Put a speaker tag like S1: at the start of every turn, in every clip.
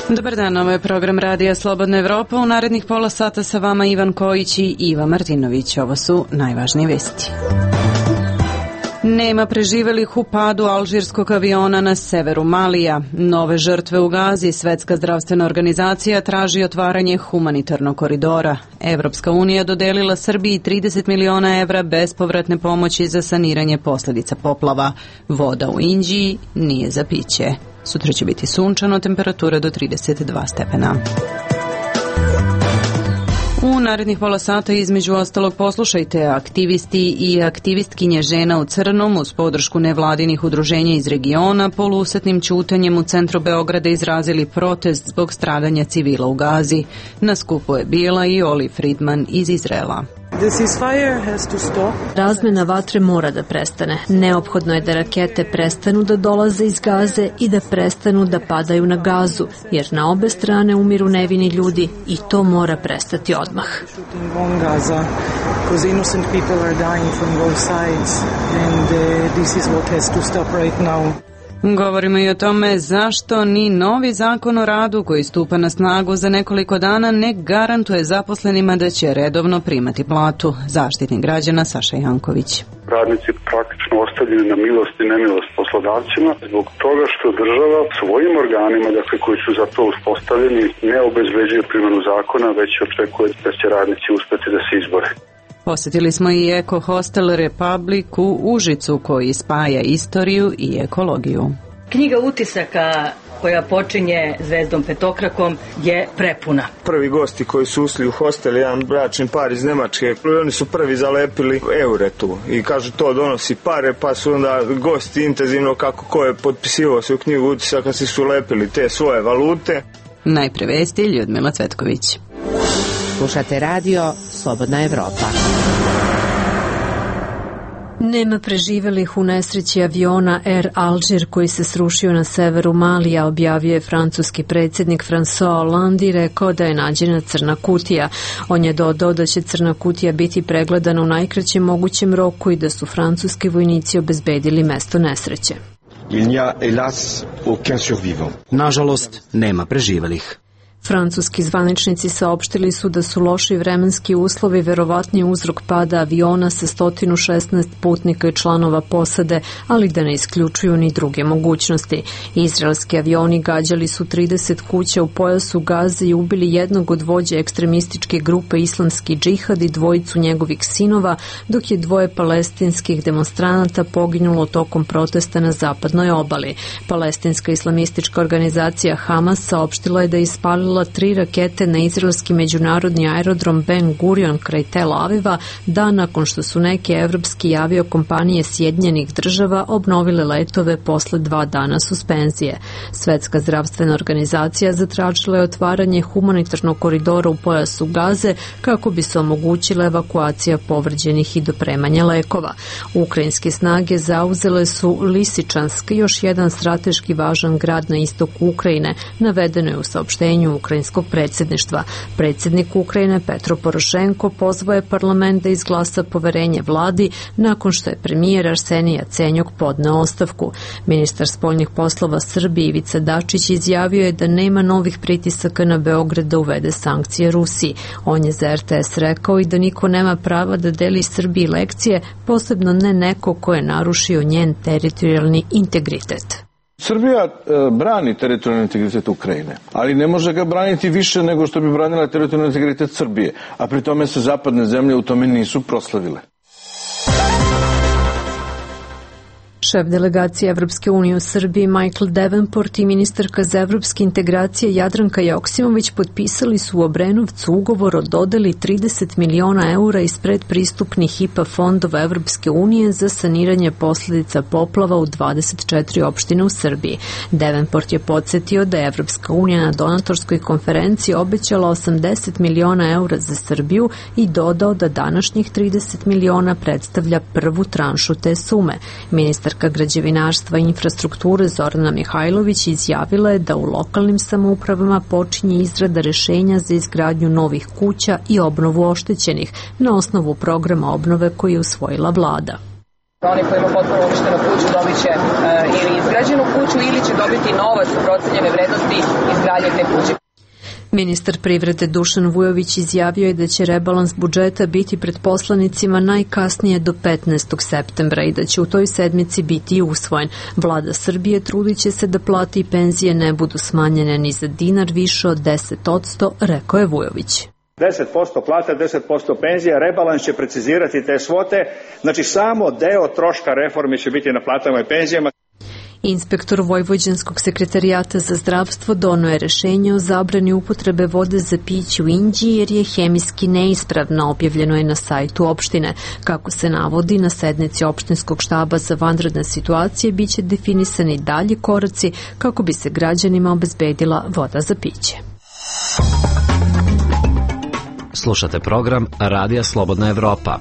S1: Dobar dan, ovo je program Radija Slobodna Evropa. U narednih pola sata sa vama Ivan Kojić i Iva Martinović. Ovo su najvažnije vesti. Nema preživelih u padu alžirskog aviona na severu Malija. Nove žrtve u Gazi. Svetska zdravstvena organizacija traži otvaranje humanitarnog koridora. Evropska unija dodelila Srbiji 30 miliona evra bespovratne pomoći za saniranje posljedica poplava. Voda u Inđiji nije za piće. Sutra će biti sunčano, temperatura do 32 stepena. U narednih pola sata između ostalog poslušajte aktivisti i aktivistkinje žena u crnom uz podršku nevladinih udruženja iz regiona polusetnim ćutanjem u centru Beograda izrazili protest zbog stradanja civila u Gazi. Na skupu je bila i Oli Friedman iz Izraela.
S2: Razmena vatre mora da prestane. Neophodno je da rakete prestanu da dolaze iz Gaze i da prestanu da padaju na Gazu, jer na obe strane umiru nevini ljudi i to mora prestati odmah.
S1: Govorimo i o tome zašto ni novi zakon o radu koji stupa na snagu za nekoliko dana ne garantuje zaposlenima da će redovno primati platu. Zaštitnik građana Saša Janković.
S3: Radnici praktično ostavljeni na milost i nemilost poslodavcima zbog toga što država svojim organima, dakle koji su za to uspostavljeni, ne obezbeđuje primjenu zakona, već očekuje da će radnici uspeti da se izbore.
S1: Posjetili smo i Eko Hostel Republic u Užicu koji spaja istoriju i ekologiju.
S4: Knjiga utisaka koja počinje zvezdom petokrakom je prepuna.
S5: Prvi gosti koji su ušli u hostel, jedan bračni par iz Nemačke, oni su prvi zalepili eure tu i kažu to donosi pare, pa su onda gosti intenzivno kako ko je potpisivao se u knjigu utisaka si su lepili te svoje valute.
S1: Najpre vesti Ljudmila Cvetković.
S6: Slušate radio Slobodna Evropa.
S2: Nema preživelih u nesreći aviona Air Alžir koji se srušio na severu Malija, objavio je francuski predsjednik François Hollande i rekao da je nađena crna kutija. On je dodao da će crna kutija biti pregledana u najkraćem mogućem roku i da su francuski vojnici obezbedili mesto nesreće.
S7: Nažalost, nema preživelih.
S2: Francuski zvaničnici saopštili su da su loši vremenski uslovi verovatni uzrok pada aviona sa 116 putnika i članova posade, ali da ne isključuju ni druge mogućnosti. Izraelski avioni gađali su 30 kuća u pojasu Gaze i ubili jednog od vođa ekstremističke grupe Islamski džihad i dvojicu njegovih sinova, dok je dvoje palestinskih demonstranata poginulo tokom protesta na zapadnoj obali. Palestinska islamistička organizacija Hamas saopštila je da je ispalila 3 rakete na izraelski međunarodni aerodrom Ben Gurion kraj Tel Aviva dan nakon što su neke evropske aviokompanije Sjedinjenih država obnovile letove posle 2 dana suspenzije. Svetska zdravstvena organizacija zatražila je otvaranje humanitarnog koridora u pojasu Gaze kako bi se omogućila evakuacija povređenih i dopremanje lekova. Ukrajinske snage zauzele su Lisičansk, još jedan strateški važan grad na istoku Ukrajine, navedeno je u saopštenju ukrajinskog predsjedništva. Predsjednik Ukrajine Petro Porošenko pozvao je parlament da izglasa poverenje vladi nakon što je premijer Arsenij Jacenjuk podneo ostavku. Ministar spoljnih poslova Srbije Ivica Dačić izjavio je da nema novih pritisaka na Beograd da uvede sankcije Rusiji. On je za RTS rekao i da niko nema prava da deli Srbiji lekcije, posebno ne neko ko je narušio njen teritorijalni integritet.
S8: Srbija brani teritorijalni integritet Ukrajine, ali ne može ga braniti više nego što bi branila teritorijalni integritet Srbije, a pri tome se zapadne zemlje u tome nisu proslavile.
S2: Šef delegacije Evropske unije u Srbiji Michael Davenport i ministarka za evropske integracije Jadranka Joksimović potpisali su u Obrenovcu ugovor o dodeli 30 miliona eura iz predpristupnih IPA fondova Evropske unije za saniranje posljedica poplava u 24 opštine u Srbiji. Davenport je podsjetio da je Evropska unija na donatorskoj konferenciji obećala 80 miliona eura za Srbiju i dodao da današnjih 30 miliona predstavlja prvu tranšu te sume. Ministarka građevinarstva i infrastrukture Zorana Mihajlović izjavila je da u lokalnim samoupravama počinje izrada rešenja za izgradnju novih kuća i obnovu oštećenih na osnovu programa obnove koji je usvojila vlada.
S9: Oni koji ima potpuno uništenu kuću dobit će ili izgrađenu kuću ili će dobiti novac u procenjene vrednosti izgradnje te kuće.
S2: Ministar privrede Dušan Vujović izjavio je da će rebalans budžeta biti pred poslanicima najkasnije do 15. septembra i da će u toj sedmici biti usvojen. Vlada Srbije trudit će se da plate i penzije ne budu smanjene ni za dinar više od 10%, rekao je Vujović.
S10: 10% plata, 10% penzija, rebalans će precizirati te svote, znači samo deo troška reforme će biti na platama i penzijama.
S2: Inspektor Vojvođanskog sekretarijata za zdravstvo doneo je rešenje o zabrani upotrebe vode za piće u Inđiji jer je hemijski neispravna, objavljeno je na sajtu opštine. Kako se navodi, na sednici opštinskog štaba za vanredne situacije biće definisani dalji koraci kako bi se građanima obezbedila voda za piće.
S7: Slušate program Radija Slobodna Evropa.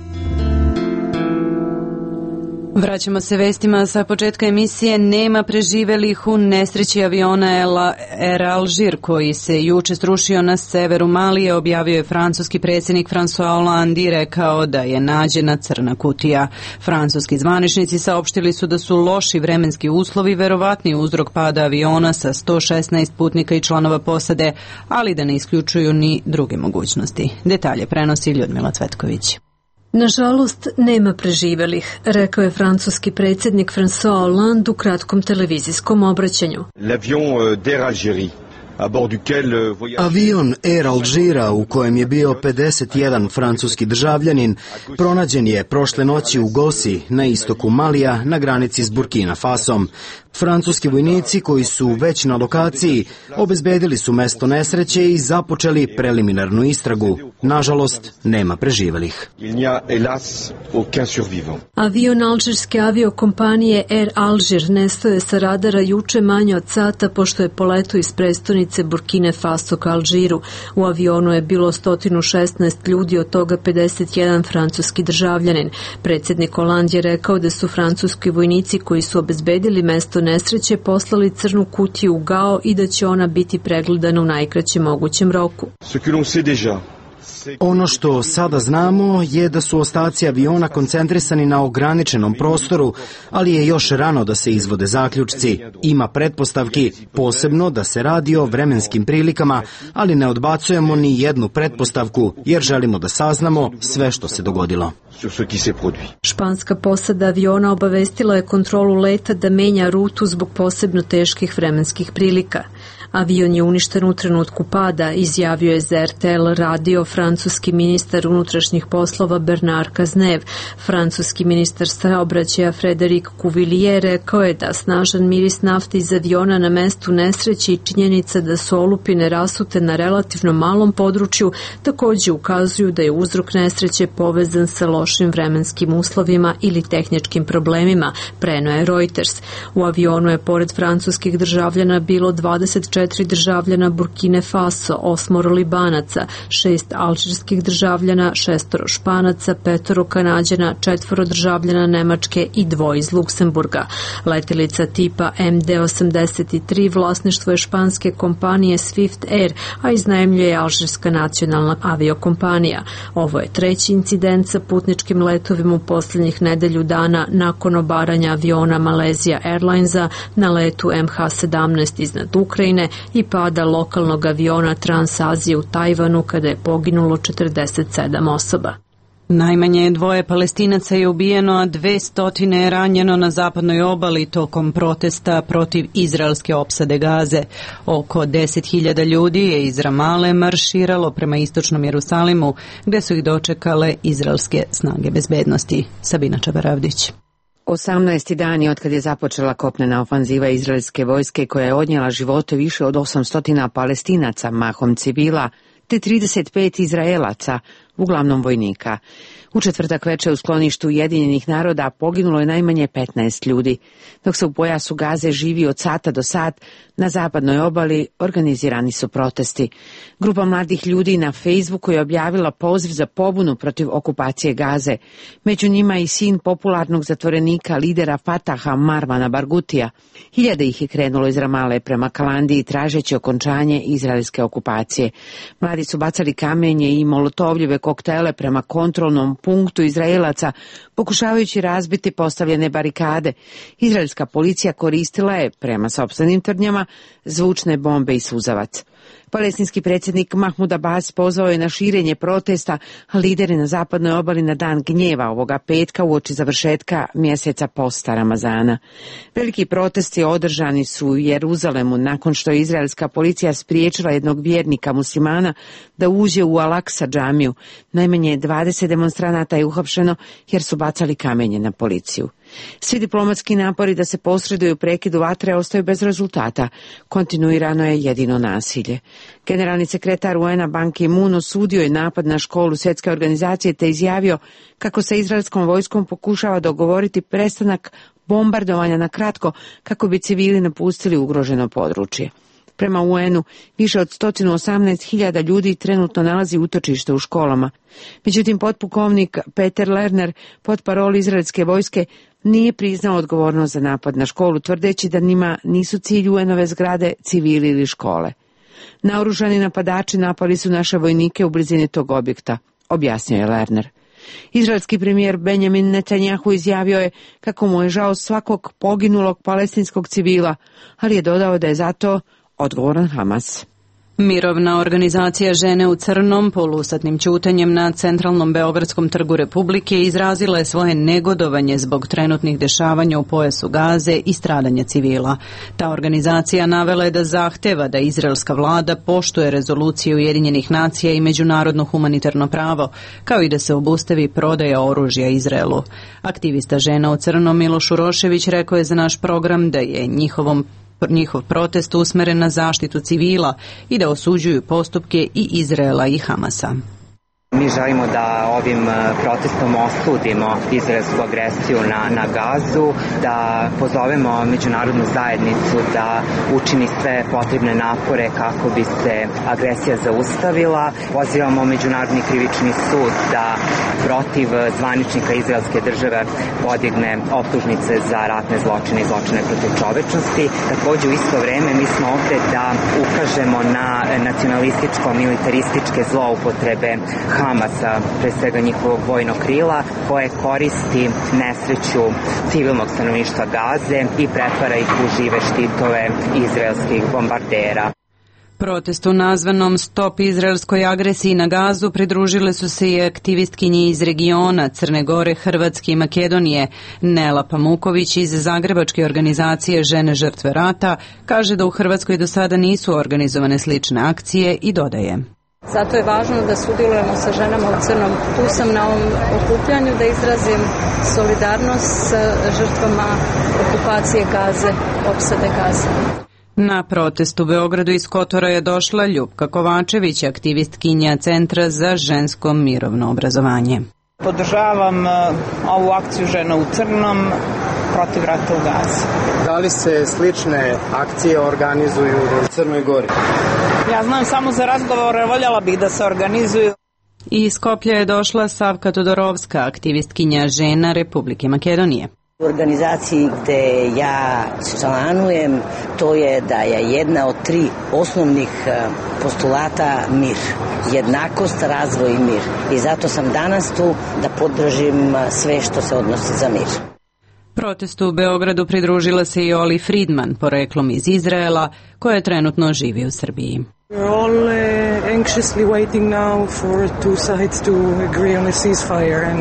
S1: Vraćamo se vestima sa početka emisije. Nema preživelih u nesreći aviona Air Alžir koji se juče srušio na severu Malije, objavio je francuski predsjednik François Hollande i rekao da je nađena crna kutija. Francuski zvaničnici saopštili su da su loši vremenski uslovi verovatni uzrok pada aviona sa 116 putnika i članova posade, ali da ne isključuju ni druge mogućnosti. Detalje prenosi Ljudmila Cvetković.
S2: Nažalost, nema preživelih, rekao je francuski predsjednik François Hollande u kratkom televizijskom obraćanju.
S11: Avion Air Alžira u kojem je bio 51 francuski državljanin pronađen je prošle noći u Gosi na istoku Malija na granici s Burkina Fasom. Francuski vojnici koji su već na lokaciji obezbedili su mesto nesreće i započeli preliminarnu istragu. Nažalost, nema preživelih.
S2: Avion alžirske aviokompanije Air Alžir nestao je sa radara juče manje od sata pošto je poletao iz prestonice Burkine Faso ka Alžiru. U avionu je bilo 116 ljudi, od toga 51 francuski državljanin. Predsjednik Hollande je rekao da su francuski vojnici koji su obezbedili mesto nesreće poslali crnu kutiju u Gao i da će ona biti pregledana u najkraćem mogućem roku.
S11: Ono što sada znamo je da su ostaci aviona koncentrisani na ograničenom prostoru, ali je još rano da se izvode zaključci. Ima pretpostavki, posebno da se radi o vremenskim prilikama, ali ne odbacujemo ni jednu pretpostavku, jer želimo da saznamo sve što se dogodilo.
S2: Španska posada aviona obavestila je kontrolu leta da menja rutu zbog posebno teških vremenskih prilika. Avion je uništen u trenutku pada, izjavio je za RTL radio francuski ministar unutrašnjih poslova Bernard Cazeneuve. Francuski ministar saobraćaja Frédéric Cuvillier rekao je da snažan miris nafte iz aviona na mestu nesreće i činjenica da su olupine rasute na relativno malom području također ukazuju da je uzrok nesreće povezan sa lošim vremenskim uslovima ili tehničkim problemima, preneo je Reuters. U avionu je pored francuskih državljana bilo 24 državljana Burkine Faso, 8 Libanaca, 6 alžirskih državljana, 6 Španaca, 5 Kanađana, 4 državljana Nemačke i 2 iz Luksemburga. Letelica tipa MD-83 vlasništvo je španske kompanije Swift Air, a iznajmljuje alžirska nacionalna aviokompanija. Ovo je treći incident sa putničkim letovima u posljednjih nedelju dana nakon obaranja aviona Malaysia Airlinesa na letu MH17 iznad Ukrajine i pada lokalnog aviona Transazije u Tajvanu kada je poginulo 47 osoba.
S1: Najmanje 2 Palestinaca je ubijeno, a 200 je ranjeno na zapadnoj obali tokom protesta protiv izraelske opsade Gaze. Oko 10.000 ljudi je iz Ramale marširalo prema istočnom Jerusalimu, gde su ih dočekale izraelske snage bezbednosti. Sabina Čabaravdić.
S6: 18. dan otkad je započela kopnena ofanziva izraelske vojske koja je odnijela živote više od 800 Palestinaca, mahom civila, te 35 Izraelaca, uglavnom vojnika. U četvrtak veče u skloništu Ujedinjenih naroda poginulo je najmanje 15 ljudi, dok se u pojasu Gaze živi od sata do sat, na zapadnoj obali organizirani su protesti. Grupa mladih ljudi na Facebooku je objavila poziv za pobunu protiv okupacije Gaze. Među njima i sin popularnog zatvorenika lidera Fataha Marvana Bargutija. Hiljade ih je krenulo iz Ramale prema Kalandiji tražeći okončanje izraelske okupacije. Mladi su bacali kamenje i molotovljeve koktele prema kontrolnom punktu Izraelaca, pokušavajući razbiti postavljene barikade. Izraelska policija koristila je, prema sopstvenim tvrdnjama, zvučne bombe i suzavac. Palestinski predsjednik Mahmud Abbas pozvao je na širenje protesta, a lideri na zapadnoj obali na dan gnjeva ovoga petka uoči završetka mjeseca posta Ramazana. Veliki protesti održani su u Jeruzalemu nakon što je izraelska policija spriječila jednog vjernika muslimana da uđe u Al-Aqsa džamiju. Najmanje 20 demonstranata je uhapšeno jer su bacali kamenje na policiju. Svi diplomatski napori da se posreduju u prekidu vatre ostaju bez rezultata. Kontinuirano je jedino nasilje. Generalni sekretar UN-a Ban Ki-moon osudio je napad na školu Svjetske organizacije te izjavio kako sa izraelskom vojskom pokušava dogovoriti prestanak bombardovanja na kratko kako bi civili napustili ugroženo područje. Prema UN-u, više od 118.000 ljudi trenutno nalazi utočište u školama. Međutim, potpukovnik Peter Lerner, potparol izraelske vojske, nije priznao odgovornost za napad na školu, tvrdeći da njima nisu cilj UN-ove zgrade civili ili škole. Naoružani napadači napali su naše vojnike u blizini tog objekta, objasnio je Lerner. Izraelski premijer Benjamin Netanjahu izjavio je kako mu je žao svakog poginulog palestinskog civila, ali je dodao da je zato odgovoran Hamas.
S1: Mirovna organizacija Žene u crnom polustatnim ćutanjem na centralnom Beogradskom trgu Republike izrazila je svoje negodovanje zbog trenutnih dešavanja u pojasu Gaze i stradanja civila. Ta organizacija navela je da zahteva da izraelska vlada poštuje rezolucije Ujedinjenih nacija i međunarodno humanitarno pravo, kao i da se obustavi prodaja oružja Izraelu. Aktivista Žena u crnom Miloš Urošević rekao je za naš program da je njihov protest usmeren na zaštitu civila i da osuđuju postupke i Izraela i Hamasa.
S12: Mi želimo da ovim protestom osudimo izraelsku agresiju na Gazu, da pozovemo međunarodnu zajednicu da učini sve potrebne napore kako bi se agresija zaustavila. Pozivamo Međunarodni krivični sud da protiv zvaničnika izraelske države podigne optužnice za ratne zločine i zločine protiv čovečnosti. Također u isto vreme mi smo ovde da ukažemo na nacionalističko-militarističke zloupotrebe Hamasa, pre svega njihovog vojnog krila, koje koristi nesreću civilnog stanovništva Gaze i pretvara ih u žive štitove izraelskih bombardera.
S1: Protestu nazvanom Stop izraelskoj agresiji na Gazu pridružile su se i aktivistkinje iz regiona Crne Gore, Hrvatske i Makedonije. Nela Pamuković iz zagrebačke organizacije Žene žrtve rata kaže da u Hrvatskoj do sada nisu organizovane slične akcije i dodaje:
S13: Zato je važno da sudjelujemo sa ženama u crnom. Tu sam na ovom okupljanju da izrazim solidarnost sa žrtvama okupacije Gaze, opsade Gaze.
S1: Na protest u Beogradu iz Kotora je došla Ljupka Kovačević, aktivistkinja Centra za žensko mirovno obrazovanje.
S14: Podržavam ovu akciju Žena u crnom protiv rata u Gazi.
S15: Da li se slične akcije organizuju u Crnoj Gori?
S14: Ja znam samo za razgovore, voljela bih da se organizuju.
S1: Iz Skoplja je došla Savka Todorovska, aktivistkinja žena Republike Makedonije.
S16: U organizaciji gde ja članujem, to je da je jedna od 3 osnovnih postulata mir. Jednakost, razvoj i mir. I zato sam danas tu da podržim sve što se odnosi za mir.
S1: Protestu u Beogradu pridružila se i Oli Friedman, poreklom iz Izraela, koja trenutno živi u Srbiji.
S17: We're all anxiously waiting now for two sides to agree on a ceasefire and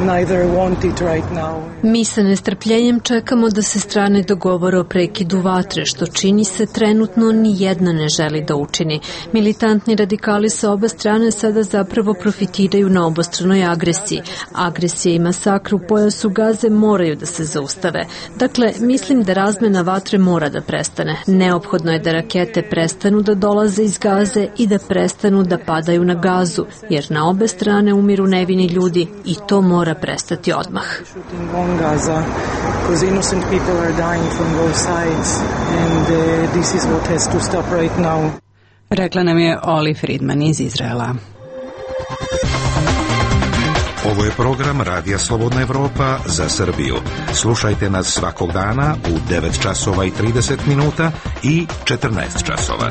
S17: neither want it right now.
S2: Mi sa nestrpljenjem čekamo da se strane dogovore o prekidu vatre, što čini se trenutno ni jedna ne želi da učini. Militantni radikali sa oba strane sada zapravo profitiraju na obostranoj agresiji. Agresija i masakr u pojasu Gaze moraju da se zaustave. Dakle, mislim da razmena vatre mora da prestane. Neophodno je da rakete prestanu da dolaze iz Gaze i da prestanu da padaju na Gazu, jer na obe strane umiru nevini ljudi i to mora prestati odmah.
S17: Gaza, because innocent people are dying from both sides and this is what has to stop right now.
S1: Rekla nam je Oli Friedman iz Izraela.
S18: Ovo je program Radija Slobodna Evropa za Srbiju. Slušajte nas svakog dana u 9 časova i 30 minuta i 14 časova.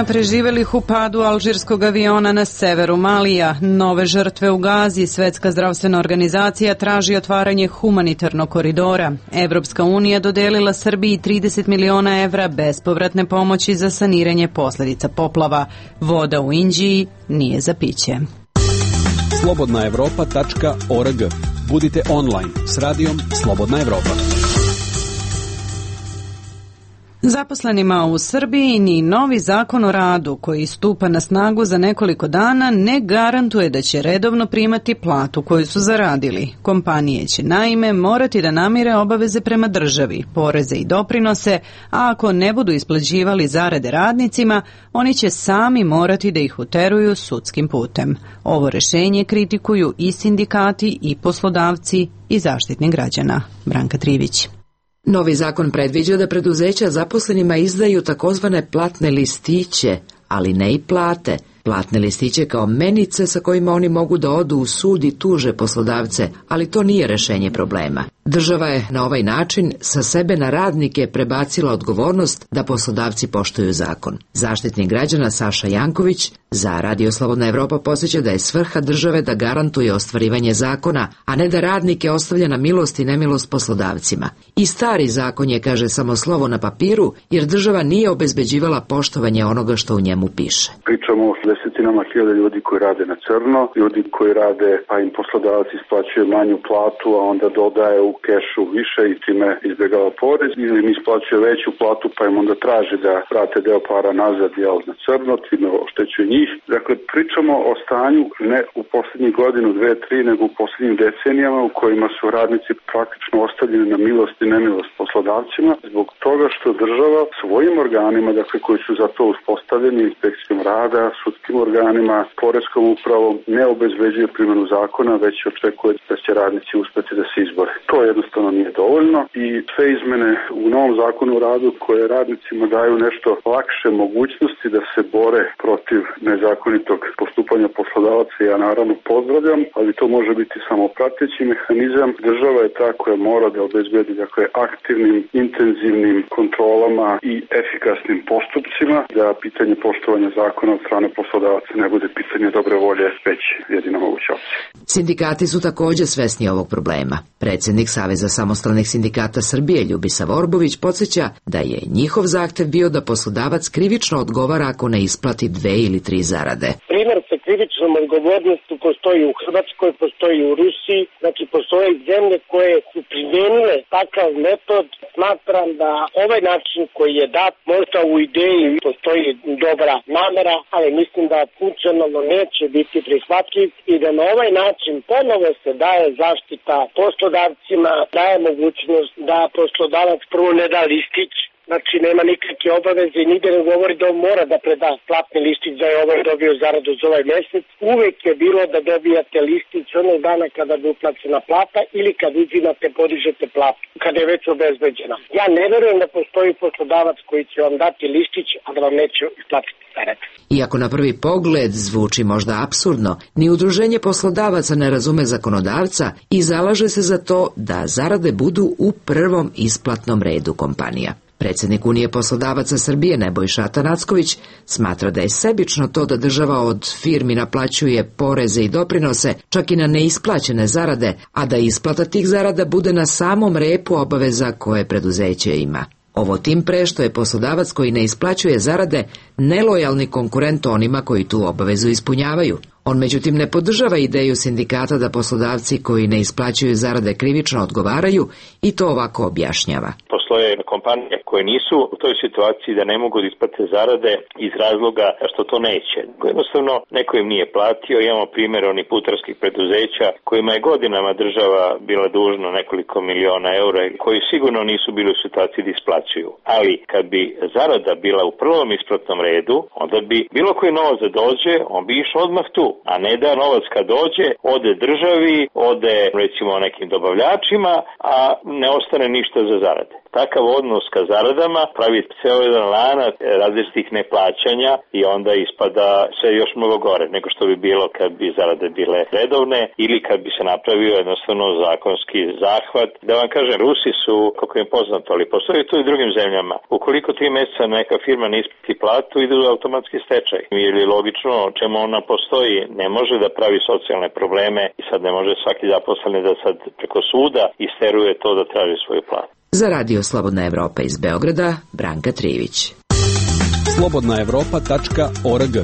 S1: Nema preživelih u padu alžirskog aviona na severu Malija. Nove žrtve u Gazi. Svetska zdravstvena organizacija traži otvaranje humanitarnog koridora. Evropska unija dodelila Srbiji 30 miliona evra bespovratne pomoći za saniranje posljedica poplava. Voda u Inđiji nije za piće.
S19: Slobodnaevropa.org. Budite online s radijom Slobodna Evropa.
S1: Zaposlenima u Srbiji ni novi zakon o radu koji stupa na snagu za nekoliko dana ne garantuje da će redovno primati platu koju su zaradili. Kompanije će naime morati da namire obaveze prema državi, poreze i doprinose, a ako ne budu isplaćivali zarade radnicima, oni će sami morati da ih uteruju sudskim putem. Ovo rešenje kritikuju i sindikati i poslodavci i Zaštitnik građana. Branka Trivić.
S20: Novi zakon predviđa da preduzeća zaposlenima izdaju takozvane platne listiće, ali ne i plate. Platne listiće kao menice sa kojima oni mogu da odu u sud i tuže poslodavce, ali to nije rešenje problema. Država je na ovaj način sa sebe na radnike prebacila odgovornost da poslodavci poštuju zakon. Zaštitnik građana Saša Janković za Radio Slobodna Evropa podsjeća da je svrha države da garantuje ostvarivanje zakona, a ne da radnike ostavlja na milost i nemilost poslodavcima. I stari zakon je, kaže, samo slovo na papiru, jer država nije obezbeđivala poštovanje onoga što u njemu piše.
S3: Pričamo o desetinama hiljada ljudi koji rade na crno, ljudi koji rade, pa im poslodavac isplaćuje manju platu, a onda dodaje u kešu više i time izbjegava porez, ili im isplaćuje veću platu, pa im onda traži da vrate deo para nazad na crno, time oštećuje njih. Dakle, pričamo o stanju ne u posljednjih godinu, 2-3, nego u posljednjim decenijama u kojima su radnici praktično ostavljeni na milost i nemilost poslodavcima, zbog toga što država svojim organima, dakle koji su za to uspostavljeni, inspekcijom rada, sudskim organima, poreskom upravom, ne obezbeđuje primjenu zakona, već očekuje da će radnici uspjeti da se izbore. To jednostavno nije dovoljno i sve izmene u novom zakonu o radu koje radnicima daju nešto lakše mogućnosti da se bore protiv nezakonitog postupanja poslodavaca, ja naravno pozdravljam, ali to može biti samo prateći mehanizam. Država je ta koja mora da obezbedi, dakle, aktivnim, intenzivnim kontrolama i efikasnim postupcima, da pitanje poštovanja zakona od strane poslodavaca ne bude pitanje dobre volje, već jedina moguća opcija.
S20: Sindikati su također svesni ovog problema. Predsjednik Saveza samostalnih sindikata Srbije Ljubisa Vorbović podsjeća da je njihov zahtev bio da poslodavac krivično odgovara ako ne isplati 2 ili 3 zarade.
S21: Primer sa krivičnom odgovornošću postoji u Hrvatskoj, postoji u Rusiji, znači postoje zemlje koje su primijenile takav metod. Smatram da ovaj način koji je dat, možda u ideji postoji dobra namera, ali mislim da funkcionalno neće biti prihvatljiv i da na ovaj način ponovo se daje zaštita poslodavcima, daje mogućnost da poslodavac prvo ne da listić, znači nema nikakve obaveze i nigde ne govori da on mora da preda platni listić da je ovaj dobio zaradu za ovaj mjesec. Uvek je bilo da dobijate listić onog dana kada bi uplaćena plata ili kad uzimate, podižete platu, kada je već obezbeđena. Ja ne verujem da postoji poslodavac koji će vam dati listić, a da vam neće isplatiti zaradu.
S20: Iako na prvi pogled zvuči možda apsurdno, ni udruženje poslodavaca ne razume zakonodavca i zalaže se za to da zarade budu u prvom isplatnom redu kompanija. Predsjednik Unije poslodavaca Srbije Nebojša Atanacković smatra da je sebično to da država od firmi naplaćuje poreze i doprinose, čak i na neisplaćene zarade, a da isplata tih zarada bude na samom repu obaveza koje preduzeće ima. Ovo tim pre što je poslodavac koji ne isplaćuje zarade nelojalni konkurent onima koji tu obavezu ispunjavaju. On međutim ne podržava ideju sindikata da poslodavci koji ne isplaćuju zarade krivično odgovaraju i to ovako objašnjava.
S22: Postoje kompanije koje nisu u toj situaciji da ne mogu da isplate zarade iz razloga što to neće. Jednostavno neko im nije platio, imamo primjer onih putarskih preduzeća kojima je godinama država bila dužna nekoliko miliona eura koji sigurno nisu bili u situaciji da isplaćuju. Ali kad bi zarada bila u prvom isplatnom redu, onda bi bilo koji novac da dođe, on bi išao odmah tu. A ne da novac kad dođe, ode državi, ode recimo nekim dobavljačima, a ne ostane ništa za zarade. takav odnos ka zaradama pravi ceo jedan lanac različitih neplaćanja i onda ispada sve još mnogo gore nego što bi bilo kad bi zarade bile redovne ili kad bi se napravio jednostavno zakonski zahvat. Da vam kažem, Rusi su, kako je poznato, ali postoji to i drugim zemljama. Ukoliko 3 meseca neka firma ne isplati platu, ide u automatski stečaj. Ili logično, čemu ona postoji, ne može da pravi socijalne probleme i sad ne može svaki zaposleni da sad preko suda isteruje to da traži svoju platu.
S20: Za Radio Slobodna Evropa iz Beograda, Branka Trivić.
S19: slobodnaevropa.org.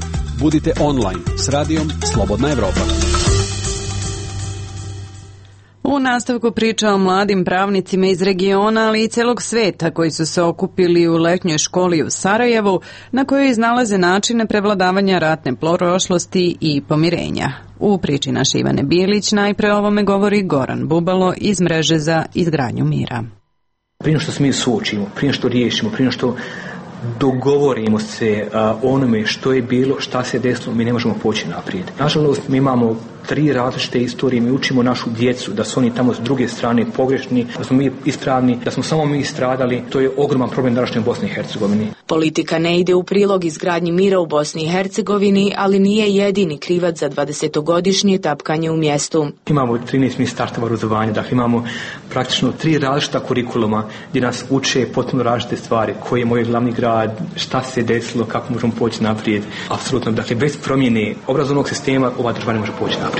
S19: Budite online s radijom Slobodna Evropa.
S1: U nastavku priča o mladim pravnicima iz regiona, ali i celog sveta koji su se okupili u letnjoj školi u Sarajevu, na kojoj iznalaze načine prevladavanja ratne prošlosti i pomirenja. U priči naše Ivane Bilić najpre o ovome govori Goran Bubalo iz Mreže za izgradnju mira.
S4: Prije što se mi suočimo, prije što riješimo, prije što dogovorimo se onome što je bilo, šta se desilo, mi ne možemo poći naprijed. Nažalost, mi imamo 3 različite istorije, mi učimo našu djecu da su oni tamo s druge strane pogrešni, da smo mi ispravni, da smo samo mi stradali. To je ogroman problem današnje u Bosni i Hercegovini.
S5: Politika ne ide u prilog izgradnji mira u Bosni i Hercegovini, ali nije jedini krivac za 20-godišnje tapkanje u mjestu.
S4: Imamo 13 ministarstava obrazovanja, dakle imamo praktično 3 različita kurikuluma gdje nas uče potpuno različite stvari, koji je moj glavni grad, šta se desilo, kako možemo poći naprijed. Apsolutno, dakle bez promjene obrazovnog sistema ova država ne može poći naprijed.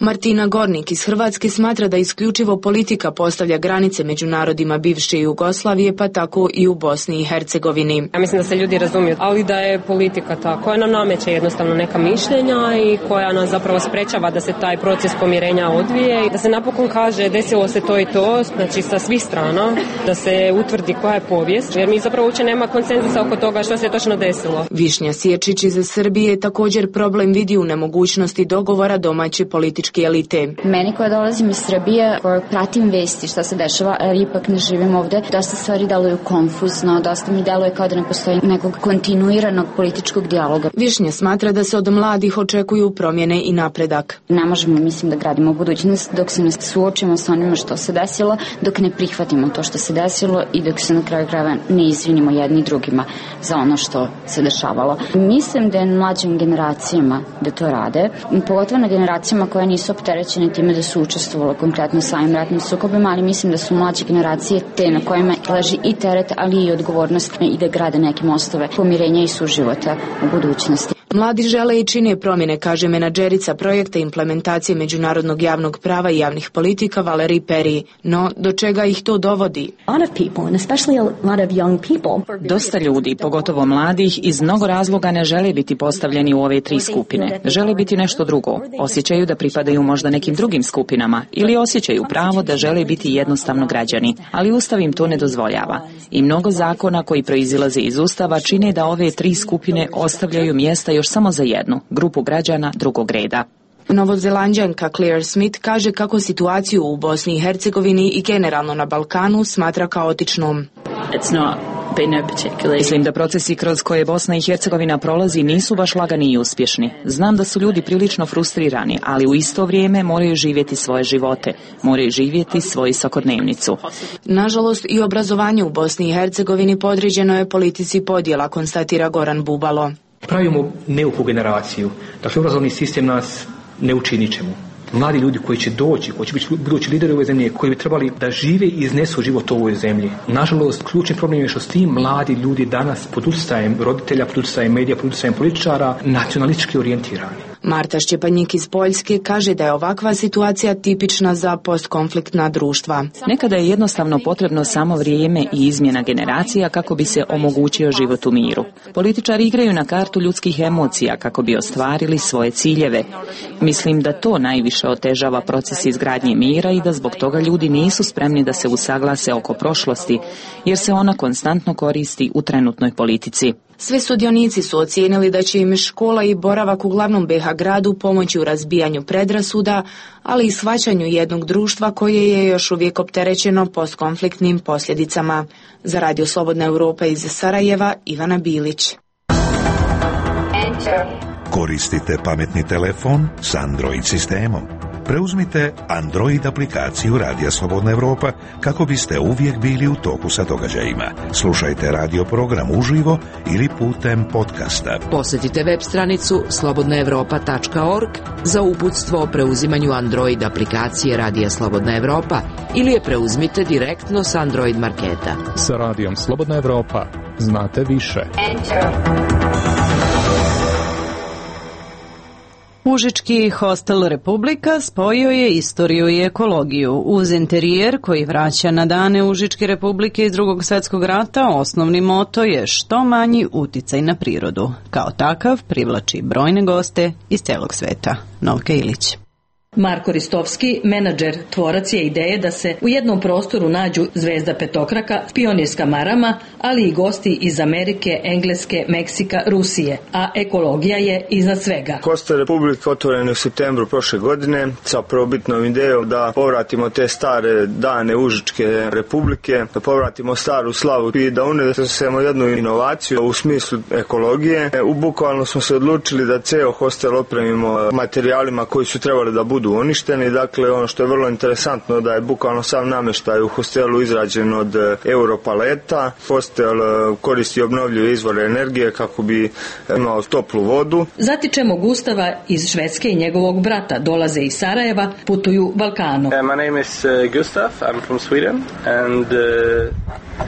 S5: Martina Gornik iz Hrvatske smatra da isključivo politika postavlja granice među narodima bivše Jugoslavije, pa tako i u Bosni i Hercegovini.
S23: Ja mislim da se ljudi razumiju, ali da je politika ta koja nam nameće jednostavno neka mišljenja i koja nas zapravo sprečava da se taj proces pomirenja odvije i da se napokon kaže desilo se to i to, znači sa svih strana, da se utvrdi koja je povijest, jer mi zapravo uopće nema konsenzusa oko toga što se točno desilo.
S5: Višnja Sječić iz Srbije također problem vidi u nemogućnosti dogovora domaće političke elite.
S24: Meni koja dolazim iz Srbije, koja pratim vesti šta se dešava, ali ipak ne živim ovde, dosta stvari deluju konfuzno, dosta mi deluje kao da ne postoji nekog kontinuiranog političkog dijaloga.
S5: Višnja smatra da se od mladih očekuju promjene i napredak.
S24: Ne možemo, mislim, da gradimo budućnost dok se ne suočimo sa onima što se desilo, dok ne prihvatimo to što se desilo i dok se na kraju krajeva ne izvinimo jedni drugima za ono što se dešavalo. Mislim da je mlađim generacijama da to rade, pogotovo na generacijama koje nisu opterećene time da su učestvovali konkretno samim ratnim sukobima, ali mislim da su mlađe generacije te na kojima leži i teret, ali i odgovornost i da grade neke mostove pomirenja i suživota u budućnosti.
S5: Mladi žele i čine promjene, kaže menadžerica projekta implementacije međunarodnog javnog prava i javnih politika Valerij Peri. No, do čega ih to dovodi?
S25: Dosta ljudi, pogotovo mladih, iz mnogo razloga ne žele biti postavljeni u ove 3 skupine. Žele biti nešto drugo. Osjećaju da pripadaju možda nekim drugim skupinama ili osjećaju pravo da žele biti jednostavno građani, ali Ustav im to ne dozvoljava. I mnogo zakona koji proizilaze iz Ustava čine da ove 3 skupine ostavljaju mjesta još samo za jednu, grupu građana drugog reda.
S5: Novozelanđanka Claire Smith kaže kako situaciju u Bosni i Hercegovini i generalno na Balkanu smatra kaotičnom.
S25: Mislim da procesi kroz koje Bosna i Hercegovina prolazi nisu baš lagani i uspješni. Znam da su ljudi prilično frustrirani, ali u isto vrijeme moraju živjeti svoje živote, moraju živjeti svoju svakodnevnicu.
S5: Nažalost, i obrazovanje u Bosni i Hercegovini podređeno je politici podjela, konstatira Goran Bubalo.
S4: Pravimo neuku generaciju. Dakle, obrazovni sistem nas ne uči ničemu. Mladi ljudi koji će doći, koji će biti budući lideri ove zemlje, koji bi trebali da žive i iznesu život u ovoj zemlji. Nažalost, ključni problem je što s tim mladi ljudi danas pod utjecajem roditelja, pod utjecajem medija, pod utjecajem političara, nacionalistički orijentirani.
S5: Marta Šćepanjik iz Poljske kaže da je ovakva situacija tipična za postkonfliktna društva.
S25: Nekada je jednostavno potrebno samo vrijeme i izmjena generacija kako bi se omogućio život u miru. Političari igraju na kartu ljudskih emocija kako bi ostvarili svoje ciljeve. Mislim da to najviše otežava proces izgradnje mira i da zbog toga ljudi nisu spremni da se usaglase oko prošlosti, jer se ona konstantno koristi u trenutnoj politici.
S5: Sve sudionici su ocijenili da će im škola i boravak u glavnom BiH gradu pomoći u razbijanju predrasuda, ali i shvaćanju jednog društva koje je još uvijek opterećeno postkonfliktnim posljedicama. Za Radio Slobodna Evropa iz Sarajeva, Ivana Bilić.
S18: Koristite pametni telefon s Android sistemom. Preuzmite Android aplikaciju Radija Slobodna Evropa kako biste uvijek bili u toku sa događajima. Slušajte radio program uživo ili putem podcasta.
S20: Posjetite web stranicu slobodnaevropa.org za uputstvo o preuzimanju Android aplikacije Radija Slobodna Evropa ili je preuzmite direktno s Android marketa.
S7: Sa Radijom Slobodna Evropa znate više.
S1: Užički hostel Republika spojio je istoriju i ekologiju. Uz interijer koji vraća na dane Užičke Republike iz Drugog svjetskog rata, osnovni moto je što manji uticaj na prirodu. Kao takav privlači brojne goste iz celog sveta. Novka Ilić.
S8: Marko Ristovski, menadžer, tvorac je ideje da se u jednom prostoru nađu zvezda petokraka, pionirska marama, ali i gosti iz Amerike, Engleske, Meksika, Rusije, a ekologija je iznad svega.
S9: Hostel Republika otvoren je u septembru prošle godine sa prvobitnom idejom da povratimo te stare dane Užičke Republike, da povratimo staru slavu i da unesemo jednu inovaciju u smislu ekologije. Bukvalno smo se odlučili da ceo hostel opremimo materijalima koji su trebali da budu uništeni. Dakle, ono što je vrlo interesantno da je bukvalno sam namještaj u hostelu izrađen od europaleta. Hostel koristi obnovljive izvore energije kako bi imao toplu vodu.
S8: Zatičemo Gustava iz Švedske i njegovog brata. Dolaze iz Sarajeva, putuju Balkanom.
S10: My name is Gustav, I'm from Sweden and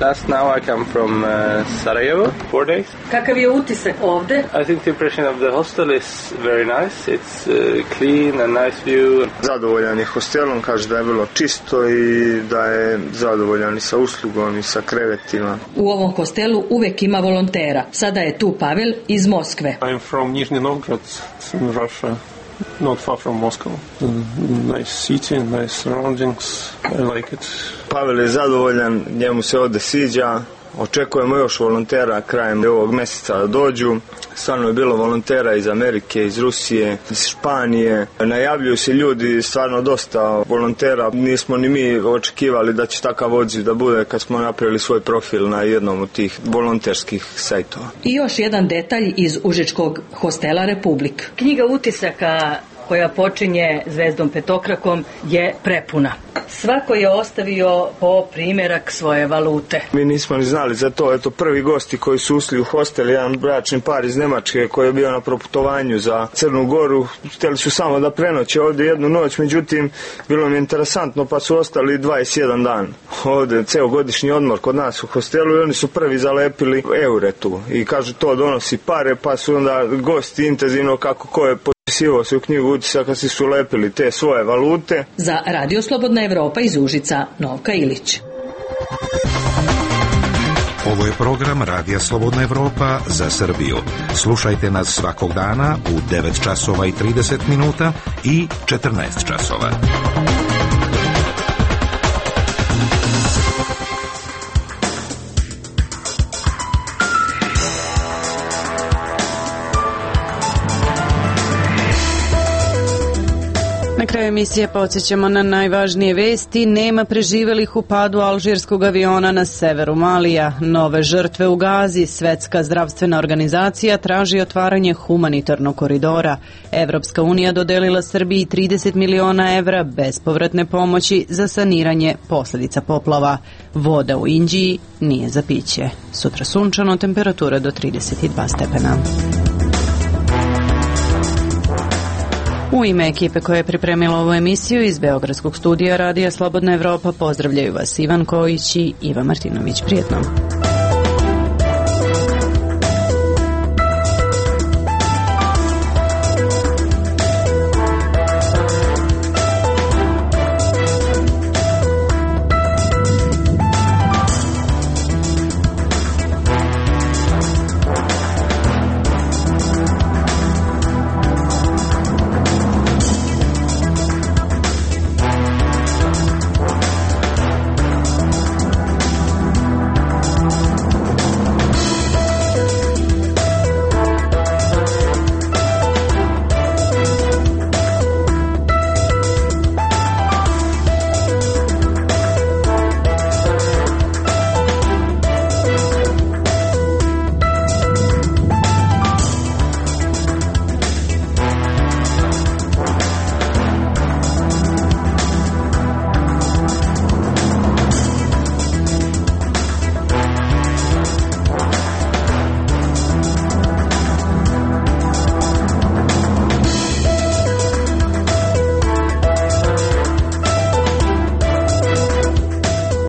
S10: last now I come from Sarajevo, 4 days.
S8: Kakav je utisak ovde?
S10: I think the impression of the hostel is very nice. It's clean and nice view.
S9: Zadovoljan je hostelom, kaže da je bilo čisto i da je zadovoljan i sa uslugom i sa krevetima.
S8: U ovom hostelu uvek ima volontera. Sada je tu Pavel iz Moskve.
S11: I'm from Nizhny Novgorod in Russia. Not far from Moscow. Nice city, nice surroundings. I like it.
S9: Pavel je zadovoljan, njemu se ovde sviđa. Očekujemo još volontera krajem ovog mjeseca da dođu. Stvarno je bilo volontera iz Amerike, iz Rusije, iz Španije. Najavljuju se ljudi, stvarno dosta volontera. Nismo ni mi očekivali da će takav odziv da bude kad smo napravili svoj profil na jednom od tih volonterskih sajtova.
S8: I još jedan detalj iz Užičkog hostela Republik. Knjiga utisaka koja počinje zvezdom petokrakom je prepuna. Svako je ostavio po primjerak svoje valute.
S9: Mi nismo ni znali za to. Eto, prvi gosti koji su ušli u hostel, jedan bračni par iz Nemačke koji je bio na proputovanju za Crnu Goru, htjeli su samo da prenoće ovdje jednu noć, međutim bilo mi je interesantno pa su ostali 21 dan ovdje, ceo godišnji odmor kod nas u hostelu i oni su prvi zalepili eure tu i kažu to donosi pare, pa su onda gosti intenzivno kako ko je sivo se u knjigu utisaka si su lepili te svoje valute.
S8: Za Radio Slobodna Evropa iz Užica, Novka Ilić.
S18: Ovo je program Radija Slobodna Evropa za Srbiju. Slušajte nas svakog dana u 9 časova i 30 minuta i 14 časova.
S1: Na kraju emisije podsjećamo na najvažnije vesti. Nema preživelih u padu alžirskog aviona na severu Malija. Nove žrtve u Gazi. Svetska zdravstvena organizacija traži otvaranje humanitarnog koridora. Evropska unija dodelila Srbiji 30 miliona evra bespovratne pomoći za saniranje posljedica poplava. Voda u Inđiji nije za piće. Sutra sunčano, temperatura do 32 stepena. U ime ekipe koja je pripremila ovu emisiju iz Beogradskog studija Radija Slobodna Evropa pozdravljaju vas Ivan Kojić i Iva Martinović. Prijetno.